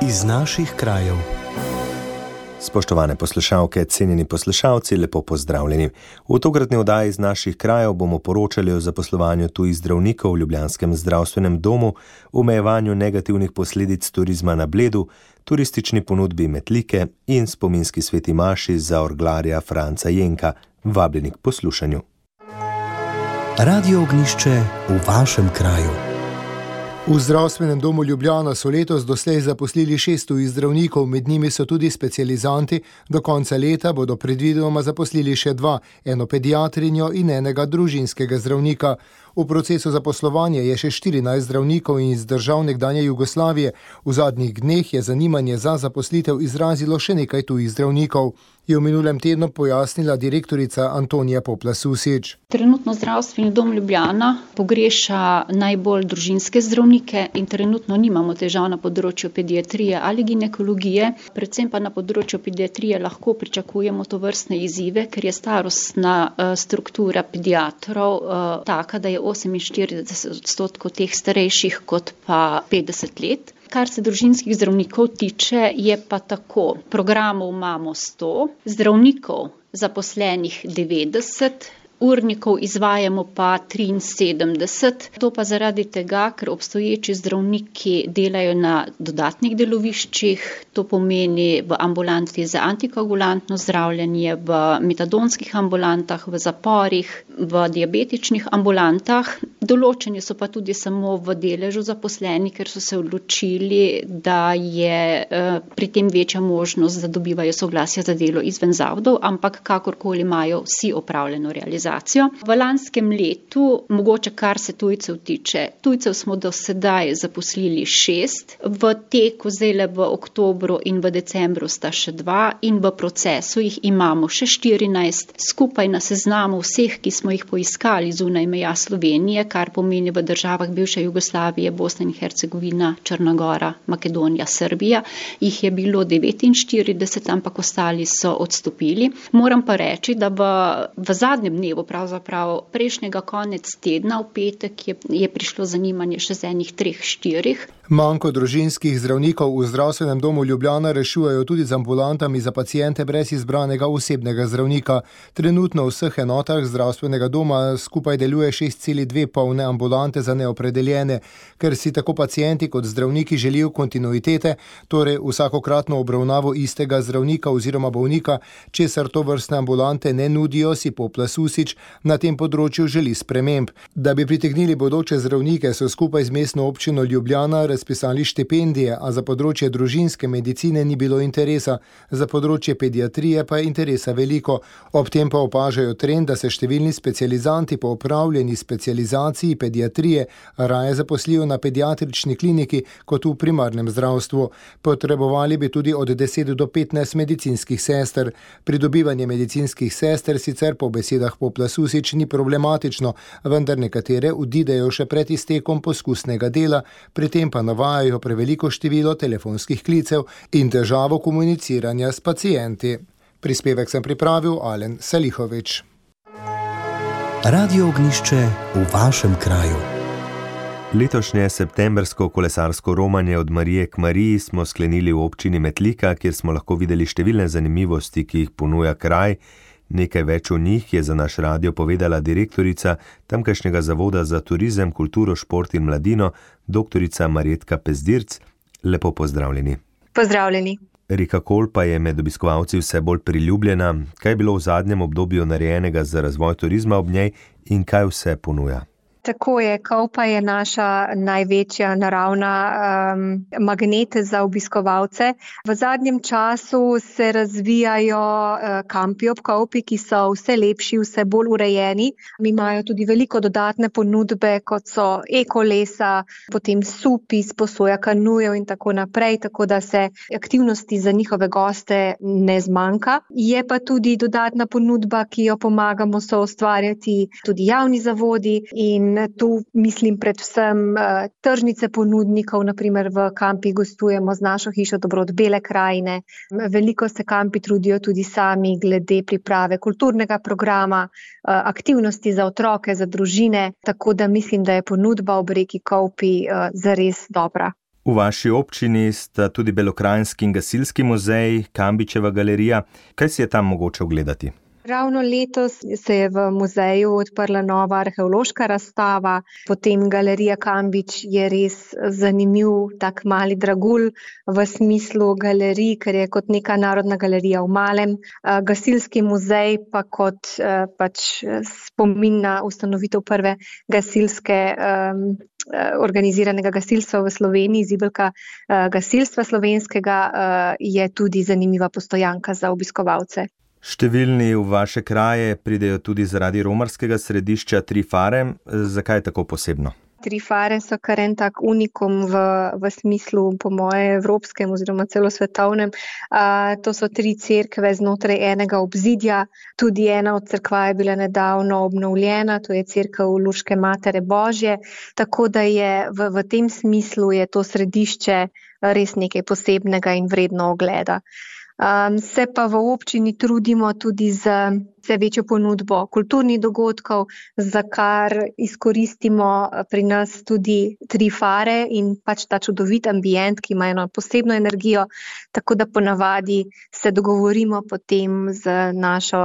iz naših krajev. Spoštovane poslušalke, cenjeni poslušalci, lepo pozdravljeni. V tokratni oddaji iz naših krajev bomo poročali o zaposlovanju tujih zdravnikov v ljubljanskem zdravstvenem domu, omejevanju negativnih posledic turizma na Bledu, turistični ponudbi Metlike in spominski sveti maši za orglarja Franca Jenka. Vabljeni k poslušanju. Radio Ognjišče v vašem kraju. V zdravstvenem domu Ljubljana so letos doslej zaposlili 6 tujih zdravnikov, med njimi so tudi specializanti. Do konca leta bodo predvidoma zaposlili še 2, eno pediatrinjo in enega družinskega zdravnika. V procesu zaposlovanja je še 14 zdravnikov iz držav nekdanje Jugoslavije. V zadnjih dneh je zanimanje za zaposlitev izrazilo še nekaj tujih zdravnikov, je v minulem tednu pojasnila direktorica Antonija Poplas-Susič. Trenutno zdravstveni dom Ljubljana pogreša najbolj družinske zdravnike in trenutno nimamo težav na področju pediatrije ali ginekologije, predvsem pa na področju pediatrije lahko pričakujemo tovrstne izzive, ker je starostna struktura pediatrov taka, da je 48% teh starejših kot pa 50 let. Kar se družinskih zdravnikov tiče, je pa tako. Programov imamo 100, zdravnikov zaposlenih 90, urnikov izvajamo pa 73, to pa zaradi tega, ker obstoječi zdravniki delajo na dodatnih deloviščih, to pomeni v ambulanti za antikoagulantno zdravljenje, v metadonskih ambulantah, v zaporih, v diabetičnih ambulantah. Določeni so pa tudi samo v deležu zaposleni, ker so se odločili, da je pri tem večja možnost, da dobivajo soglasje za delo izven zavodov, ampak kakorkoli imajo vsi opravljeno realizacijo. V lanskem letu, mogoče kar se tujcev tiče, tujcev smo do sedaj zaposlili 6, v teku zdaj v oktobru in v decembru sta še 2 in v procesu jih imamo še 14, skupaj na seznamu vseh, ki smo jih poiskali zunaj meja Slovenije, kar pomeni v državah bivše Jugoslavije, Bosna in Hercegovina, Črna Gora, Makedonija, Srbija, jih je bilo 49, ampak ostali so odstopili. Moram pa reči, da v zadnjem dnevu, pravzaprav prejšnjega konec tedna, v petek je prišlo zanimanje še z enih 3-4. Manko družinskih zdravnikov v zdravstvenem domu Ljubljana rešujejo tudi z ambulantami za paciente brez izbranega osebnega zdravnika. Trenutno v vseh enotah zdravstvenega doma skupaj deluje 6,2 polne ambulante za neopredeljene, ker si tako pacienti kot zdravniki želijo kontinuitete, torej vsakokratno obravnavo istega zdravnika oziroma bolnika, česar tovrstne ambulante ne nudijo, si Poplas-Susič na tem področju želi sprememb. Da bi pritegnili bodoče zdravnike, so skupaj z mestno občino Ljubljana razpisali štipendije, a za področje družinske medicine ni bilo interesa, za področje pediatrije pa je interesa veliko. Ob tem pa opažajo trend, da se številni specializanti po opravljeni specializaciji pediatrije raje zaposlijo na pediatrični kliniki kot v primarnem zdravstvu. Potrebovali bi tudi od 10 do 15 medicinskih sester. Pridobivanje medicinskih sester sicer po besedah Poplas-Susič ni problematično, vendar nekatere odidejo še pred iztekom poskusnega dela, pri tem pa navajajo preveliko število telefonskih klicev in težavo komuniciranja s pacienti. Prispevek sem pripravil Alen Salihovič. Radio Ognjišče v vašem kraju. Letošnje septembersko kolesarsko romanje od Marije k Mariji smo sklenili v občini Metlika, kjer smo lahko videli številne zanimivosti, ki jih ponuja kraj. Nekaj več o njih je za naš radio povedala direktorica tamkajšnjega zavoda za turizem, kulturo, šport in mladino, doktorica Marjetka Pezdirc. Lepo pozdravljeni. Pozdravljeni. Reka Kolpa je med obiskovalci vse bolj priljubljena. Kaj je bilo v zadnjem obdobju narejenega za razvoj turizma ob njej in kaj vse ponuja? Tako je, Kolpa je naša največja naravna magnet za obiskovalce. V zadnjem času se razvijajo kampi ob Kolpi, ki so vse lepši, vse bolj urejeni. Imajo tudi veliko dodatne ponudbe, kot so ekolesa, potem supi, sposoja kanujev in tako naprej, tako da se aktivnosti za njihove goste ne zmanjka. Je pa tudi dodatna ponudba, ki jo pomagamo soustvarjati tudi javni zavodi in tu mislim predvsem tržnice ponudnikov, naprimer v kampih gostujemo z našo hišo Dobrod Bele krajine. Veliko se kampi trudijo tudi sami glede priprave kulturnega programa, aktivnosti za otroke, za družine, tako da mislim, da je ponudba ob reki Kolpi zares dobra. V vaši občini sta tudi Belokranjski in gasilski muzej, Kambičeva galerija. Kaj si je tam mogoče ogledati? Ravno letos se je v muzeju odprla nova arheološka razstava, potem galerija Kambič je res zanimiv, tak mali dragulj v smislu galerij, ker je kot neka narodna galerija v malem. Gasilski muzej pa kot spomin na ustanovitev prve gasilske organiziranega gasilstva v Sloveniji, zibelka gasilstva slovenskega, je tudi zanimiva postojanka za obiskovalce. Številni v vaše kraje pridejo tudi zaradi romarskega središča Tri fare. Zakaj tako posebno? Tri fare so kar en tak unikum v smislu, po moje, evropskem oziroma celo svetovnem. To so 3 cerkve znotraj enega obzidja. Tudi ena od cerkva je bila nedavno obnovljena, to je cerkev Luške Matere Božje. Tako da je v tem smislu je to središče res nekaj posebnega in vredno ogleda. Se pa v občini trudimo tudi z vse večjo ponudbo kulturnih dogodkov, za kar izkoristimo pri nas tudi Tri fare in ta čudovit ambient, ki ima eno posebno energijo, tako da ponavadi se dogovorimo potem z našo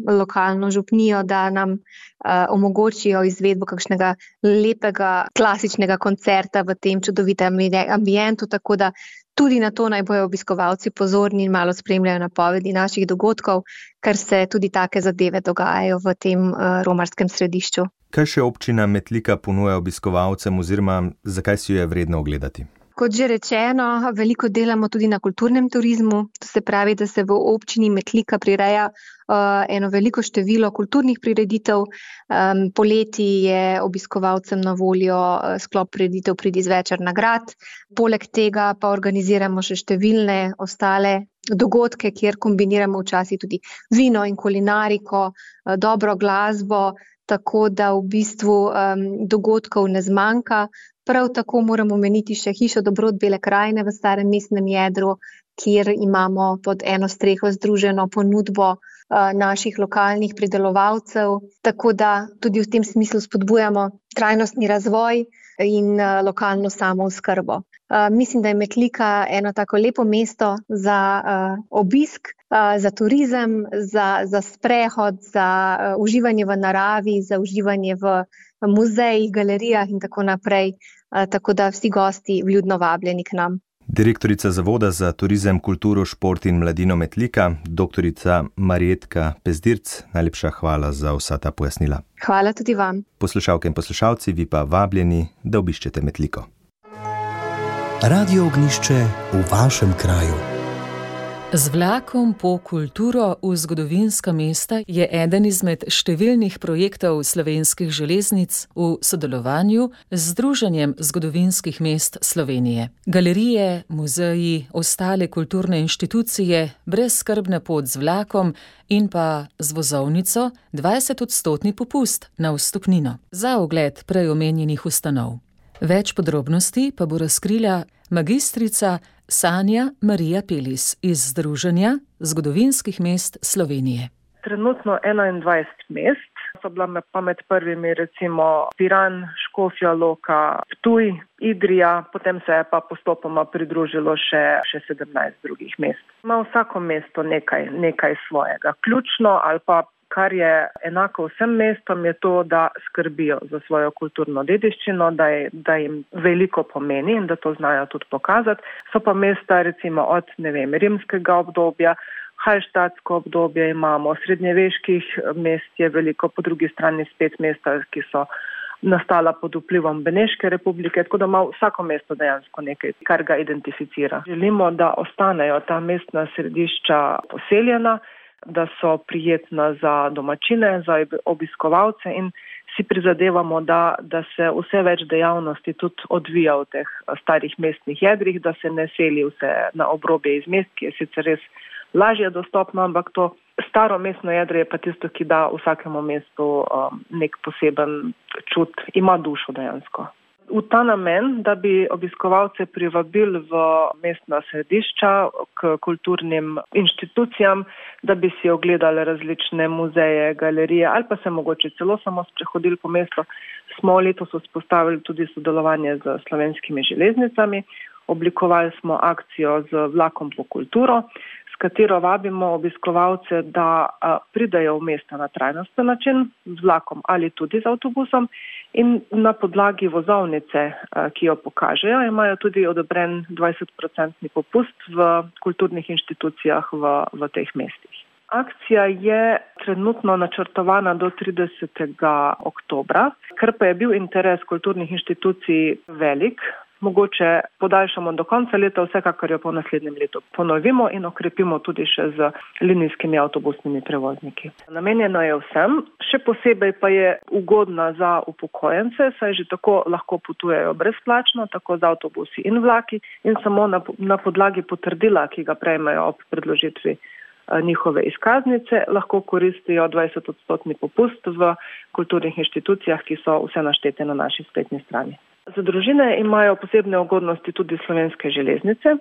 lokalno župnijo, da nam omogočijo izvedbo kakšnega lepega klasičnega koncerta v tem čudovitem ambientu, tako da tudi na to naj bojo obiskovalci pozorni in malo spremljajo napovedi naših dogodkov, ker se tudi take zadeve dogajajo v tem romarskem središču. Kaj še občina Metlika ponuja obiskovalcem oziroma zakaj si jo je vredno ogledati? Kot že rečeno, veliko delamo tudi na kulturnem turizmu, to se pravi, da se v občini Metlika prireja eno veliko število kulturnih prireditev. Poleti je obiskovalcem na voljo sklop prireditev Pridi zvečer na grad. Poleg tega pa organiziramo še številne ostale dogodke, kjer kombiniramo včasih tudi vino in kulinariko, dobro glasbo, tako da v bistvu dogodkov ne zmanjka. Prav tako moramo omeniti še hišo Dobrot Bele krajine v starem mestnem jedru, kjer imamo pod eno streho združeno ponudbo naših lokalnih pridelovalcev, tako da tudi v tem smislu spodbujamo trajnostni razvoj in lokalno samooskrbo. Mislim, da je Metlika eno tako lepo mesto za obisk, za turizem, za sprehod, za uživanje v naravi, za uživanje v muzejih, galerijah in tako naprej, tako da vsi gosti vljudno vabljeni k nam. Direktorica Zavoda za turizem, kulturo, šport in mladino Metlika, doktorica Marjetka Pezdirc, najlepša hvala za vsa ta pojasnila. Hvala tudi vam. Poslušalke in poslušalci, vi pa vabljeni, da obiščete Metliko. Radio Ognjišče v vašem kraju. Z vlakom po kulturo v zgodovinska mesta je eden izmed številnih projektov Slovenskih železnic v sodelovanju z Združenjem zgodovinskih mest Slovenije. Galerije, muzeji, ostale kulturne inštitucije, brezskrbna pot z vlakom in pa z vozovnico 20% popust na vstopnino za ogled prej omenjenih ustanov. Več podrobnosti pa bo razkrila magistrica Sanja Marija Pelis iz Združenja zgodovinskih mest Slovenije. Trenutno 21 mest, so bila pa med prvimi recimo Piran, Škofja Loka, Ptuj, Idrija, potem se je pa postopoma pridružilo še 17 drugih mest. Ima vsako mesto nekaj svojega. Ključno ali pa kar je enako vsem mestom, je to, da skrbijo za svojo kulturno dediščino, da jim veliko pomeni in da to znajo tudi pokazati. So pa mesta recimo od, rimskega obdobja, halštatsko obdobje imamo, srednjeveških mest je veliko, po drugi strani spet mesta, ki so nastala pod vplivom Beneške republike, tako da ima vsako mesto dejansko nekaj, kar ga identificira. Želimo, da ostanejo ta mestna središča poseljena, da so prijetna za domačine, za obiskovalce in si prizadevamo, da se vse več dejavnosti tudi odvija v teh starih mestnih jedrih, da se ne seli vse na obrobje iz mest, ki je sicer res lažje dostopno, ampak to staro mestno jedro je pa tisto, ki da vsakemu mestu nek poseben čut, ima dušo dejansko. V ta namen, da bi obiskovalce privabili v mestna središča k kulturnim inštitucijam, da bi si ogledali različne muzeje, galerije ali pa se mogoče celo samo sprehodili po mestu, smo letos vzpostavili tudi sodelovanje z Slovenskimi železnicami. oblikovali smo akcijo z vlakom po kulturo, s katero vabimo obiskovalce, da pridejo v mesta na trajnosten način, z vlakom ali tudi z avtobusom in na podlagi vozovnice, ki jo pokažejo, imajo tudi odobren 20% popust v kulturnih inštitucijah v teh mestih. Akcija je trenutno načrtovana do 30. oktobra, ker pa je bil interes kulturnih inštitucij velik, mogoče podaljšamo do konca leta, vsekakor jo po naslednjem letu ponovimo in okrepimo tudi še z linijskimi avtobusnimi prevozniki. Namenjeno je vsem, še posebej pa je ugodna za upokojence, saj že tako lahko potujejo brezplačno, tako z avtobusi in vlaki in samo na podlagi potrdila, ki ga prejmejo ob predložitvi njihove izkaznice, lahko koristijo 20% popust v kulturnih inštitucijah, ki so vse naštete na naši spletni strani. Za družine imajo posebne ugodnosti tudi Slovenske železnice.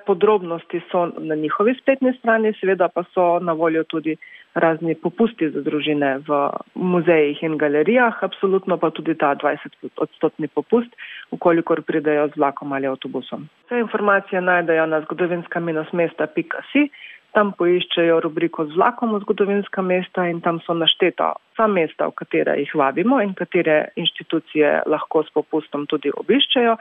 Podrobnosti so na njihovi spletni strani, seveda pa so na voljo tudi razni popusti za družine v muzejih in galerijah, absolutno pa tudi ta 20% popust, ukolikor pridejo z vlakom ali avtobusom. Vse informacije najdejo na zgodovinska-mesta.si. Tam poiščejo rubriko z vlakom v zgodovinska mesta in tam so našteta vsa mesta, v katere jih vabimo in katere inštitucije lahko s popustom tudi obiščejo.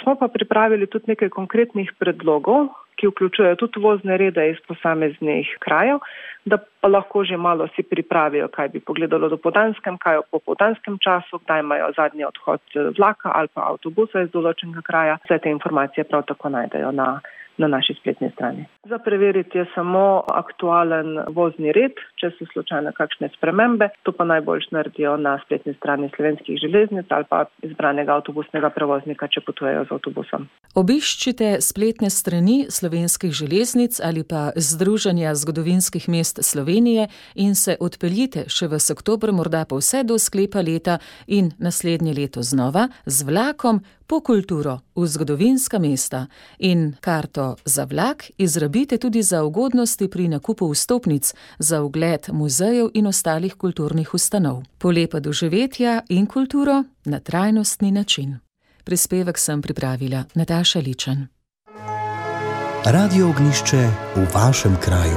Smo pa pripravili tudi nekaj konkretnih predlogov, ki vključujejo tudi vozne rede iz posameznih krajev, da pa lahko že malo si pripravijo, kaj bi pogledalo dopoldanskem, kaj v popoldanskem času, kdaj imajo zadnji odhod vlaka ali pa avtobusa iz določenega kraja. Vse te informacije prav tako najdejo na naši spletni strani. Za preveriti je samo aktualen vozni red, če so slučajno kakšne spremembe, to pa najboljš naredijo na spletni strani Slovenskih železnic ali pa izbranega avtobusnega prevoznika, če potujejo z avtobusom. Obiščite spletne strani Slovenskih železnic ali pa Združenja zgodovinskih mest Slovenije in se odpeljite še v oktobru, morda pa vse do sklepa leta in naslednje leto znova z vlakom po kulturo v zgodovinska mesta in karto za vlak izrabite tudi za ugodnosti pri nakupu vstopnic za ogled muzejev in ostalih kulturnih ustanov. Polepa doživetja in kulturo na trajnostni način. Prispevek sem pripravila Nataša Ličen. Radio Ognjišče v vašem kraju.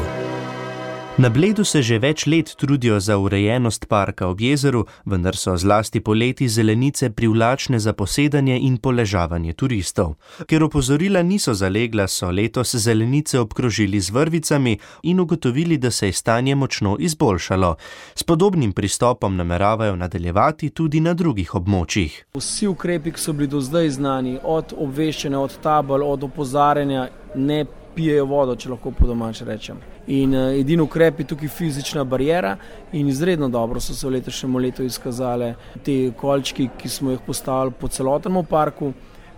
Na Bledu se že več let trudijo za urejenost parka ob jezeru, vendar so zlasti poleti zelenice privlačne za posedanje in poležavanje turistov. Ker opozorila niso zalegla, so letos zelenice obkrožili z vrvicami in ugotovili, da se je stanje močno izboljšalo. S podobnim pristopom nameravajo nadaljevati tudi na drugih območjih. Vsi ukrepi, ki so bili do zdaj znani, od obveščanja, od tabel, od opozarjanja, ne pijejo vodo, če lahko po domače rečem. In edini ukrep je tukaj fizična bariera in izredno dobro so se v letošnjem letu izkazale te kolčki, ki smo jih postavili po celotnem parku.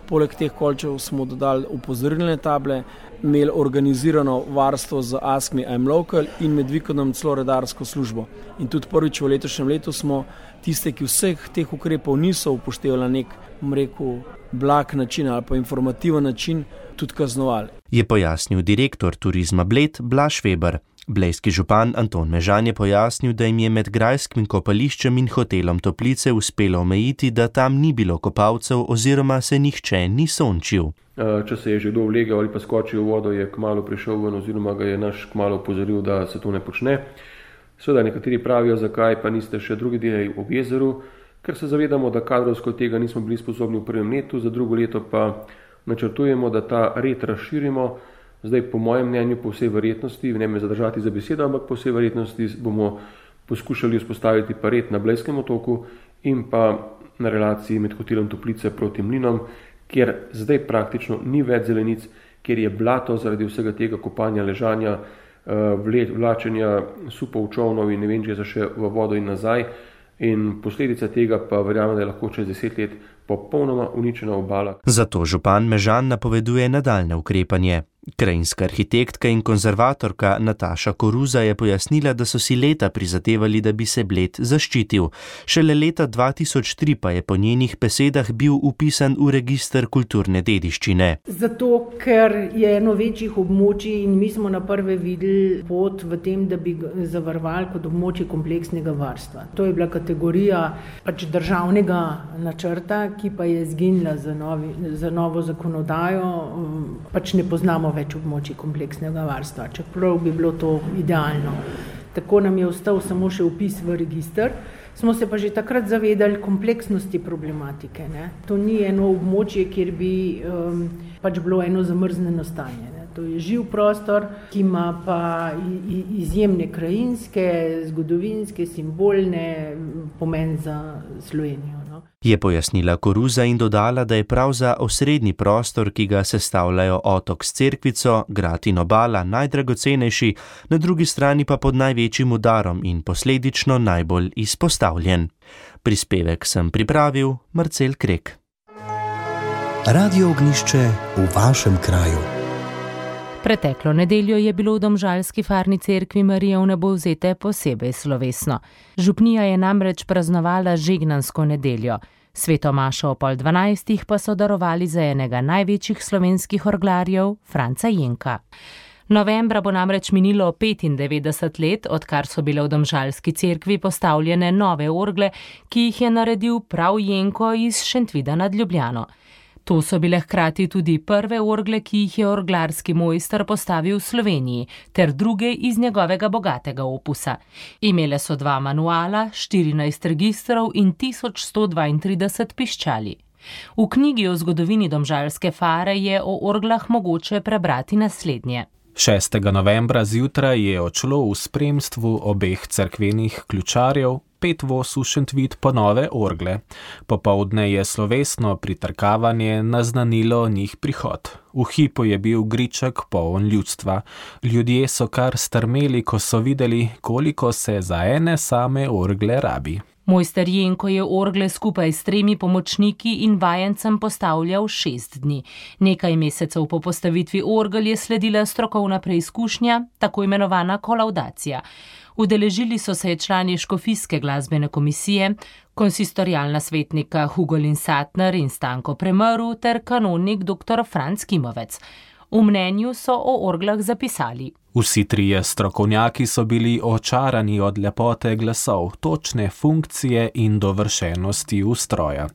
Poleg teh kolčev smo dodali opozorilne table, imeli organizirano varstvo z Ask Me I'm Local in med vikendom celo redarsko službo. In tudi prvič v letošnjem letu smo tiste, ki vseh teh ukrepov niso upoštevali na nek, blag način ali pa informativen način, tudi kaznovali. Je pojasnil direktor Turizma Bled Blaž Veber. Blejski župan Anton Mežan je pojasnil, da jim je med grajskim kopališčem in hotelom Toplice uspelo omejiti, da tam ni bilo kopalcev oziroma se nihče ni sončil. Če se je že kdo vlegel ali pa skočil v vodo, je kmalu prišel ven oziroma ga je naš kmalu opozoril, da se to ne počne. Seveda nekateri pravijo, zakaj pa niste še drugi delali ob jezeru, ker se zavedamo, da kadrovsko tega nismo bili sposobni v prvem letu, za drugo leto pa načrtujemo, da ta red razširimo. Zdaj, po mojem mnenju, po vsej verjetnosti, ne me zadržati za besedo, ampak po vsej verjetnosti bomo poskušali vzpostaviti pa red na Blejskem otoku in pa na relaciji med hotelom Toplice proti Mlinom, kjer zdaj praktično ni več zelenic, kjer je blato zaradi vsega tega kopanja, ležanja, vlačenja supov, čovnov in ne vem, če je še v vodo in nazaj. In posledica tega pa verjamem, da je lahko čez 10 let popolnoma uničena obala. Zato župan Mežan napoveduje nadaljne ukrepanje. Krajinska arhitektka in konzervatorka Nataša Koruza je pojasnila, da so si leta prizadevali, da bi se Bled zaščitil. Šele leta 2003 pa je po njenih besedah bil vpisan v register kulturne dediščine. Zato, ker je eno večjih območij in mi smo na prve videli pot v tem, da bi zavarovali kot območje kompleksnega varstva. To je bila kategorija državnega načrta, ki pa je izginila za novo zakonodajo, ne poznamo več območij kompleksnega varstva, čeprav bi bilo to idealno. Tako nam je ostal samo še vpis v register. Smo se pa že takrat zavedali kompleksnosti problematike. Ne? To ni eno območje, kjer bi bilo eno zamrznjeno stanje. Ne? To je živ prostor, ki ima pa izjemne krajinske, zgodovinske, simbolne pomen za Slovenijo. No? Je pojasnila Koruza in dodala, da je prav za osrednji prostor, ki ga sestavljajo otok s cerkvico, grad in obala, najdragocenejši, na drugi strani pa pod največjim udarom in posledično najbolj izpostavljen. Prispevek sem pripravil Marcel Krek. Radio Ognjišče v vašem kraju. Preteklo nedeljo je bilo v domžalski farni cerkvi Marije Vnebovzete posebej slovesno. Župnija je namreč praznovala žegnansko nedeljo. Sveto mašo o 11:30 pa so darovali za enega največjih slovenskih orglarjev, Franca Jenka. Novembra bo namreč minilo 95 let, odkar so bile v domžalski cerkvi postavljene nove orgle, ki jih je naredil prav Jenko iz Šentvida nad Ljubljano. To so bile hkrati tudi prve orgle, ki jih je orglarski mojster postavil v Sloveniji, ter druge iz njegovega bogatega opusa. Imele so 2 manuala, 14 registrov in 1132 piščali. V knjigi o zgodovini domžalske fare je o orglah mogoče prebrati naslednje. 6. novembra zjutraj je odšlo v spremstvu obeh cerkvenih ključarjev 5 voz v Šentvid po nove orgle. Popoldne je slovesno pritrkavanje naznanilo njih prihod. V hipu je bil griček poln ljudstva. Ljudje so kar strmeli, ko so videli, koliko se za ene same orgle rabi. Mojster Jenko je orgle skupaj s 3 pomočniki in vajencem postavljal 6 dni. Nekaj mesecev po postavitvi orgel je sledila strokovna preizkušnja, tako imenovana kolaudacija. Udeležili so se člani škofijske glasbene komisije, konsistorialna svetnika Hugo Linsatner in Stanko Premrl ter kanonik dr. Franc Kimovec. V mnenju so o orglah zapisali: Vsi 3 strokovnjaki so bili očarani od lepote glasov, točne funkcije in dovršenosti ustroja.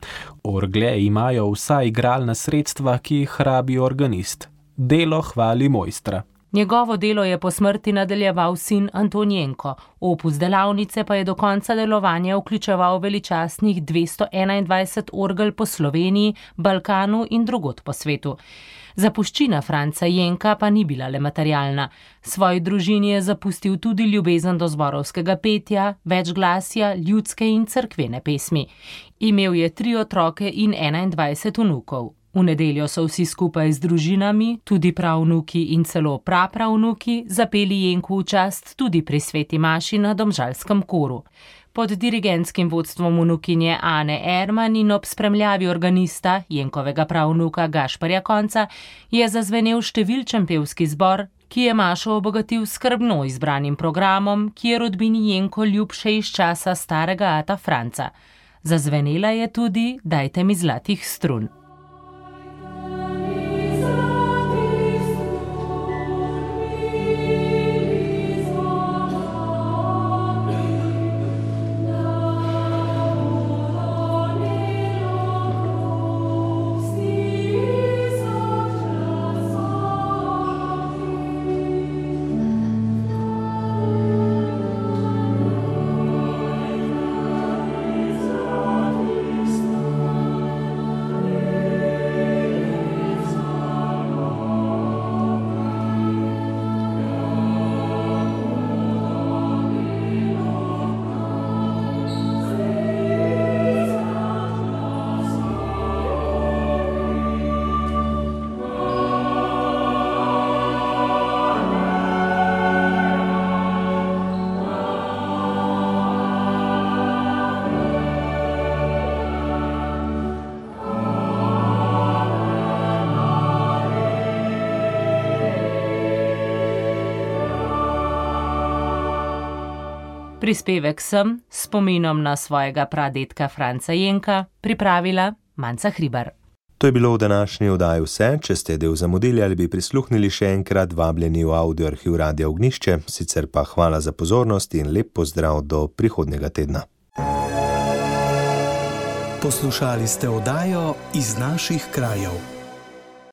Orgle imajo vsa igralna sredstva, ki jih rabi organist. Delo hvali mojstra. Njegovo delo je po smrti nadaljeval sin Anton Jenko. Opus delavnice pa je do konca delovanja vključeval veličastnih 221 orgel po Sloveniji, Balkanu in drugod po svetu. Zapuščina Franca Jenka pa ni bila le materialna. Svoji družini je zapustil tudi ljubezen do zborovskega petja, večglasja, ljudske in cerkvene pesmi. Imel je 3 otroke in 21 vnukov. V nedeljo so vsi skupaj z družinami, tudi pravnuki in celo prapravnuki, zapeli Jenku v čast tudi pri sveti maši na domžalskem koru. Pod dirigentskim vodstvom vnukinje Ane Erman in ob spremljavi organista, Jenkovega pravnuka Gašparja Konca, je zazvenel številčen pevski zbor, ki je mašo obogatil skrbno izbranim programom, ki je rodbini Jenko ljub še iz časa starega ata Franca. Zazvenela je tudi Dajte mi zlatih strun. Prispevek sem s spominom na svojega pradedka Franca Jenka pripravila Manca Hribar. To je bilo v današnji oddaji vse. Če ste del zamudili ali bi prisluhnili še enkrat, vabljeni v audio arhiv Radia Ognjišče. Sicer pa hvala za pozornost in lep pozdrav do prihodnjega tedna. Poslušali ste oddajo Iz naših krajev.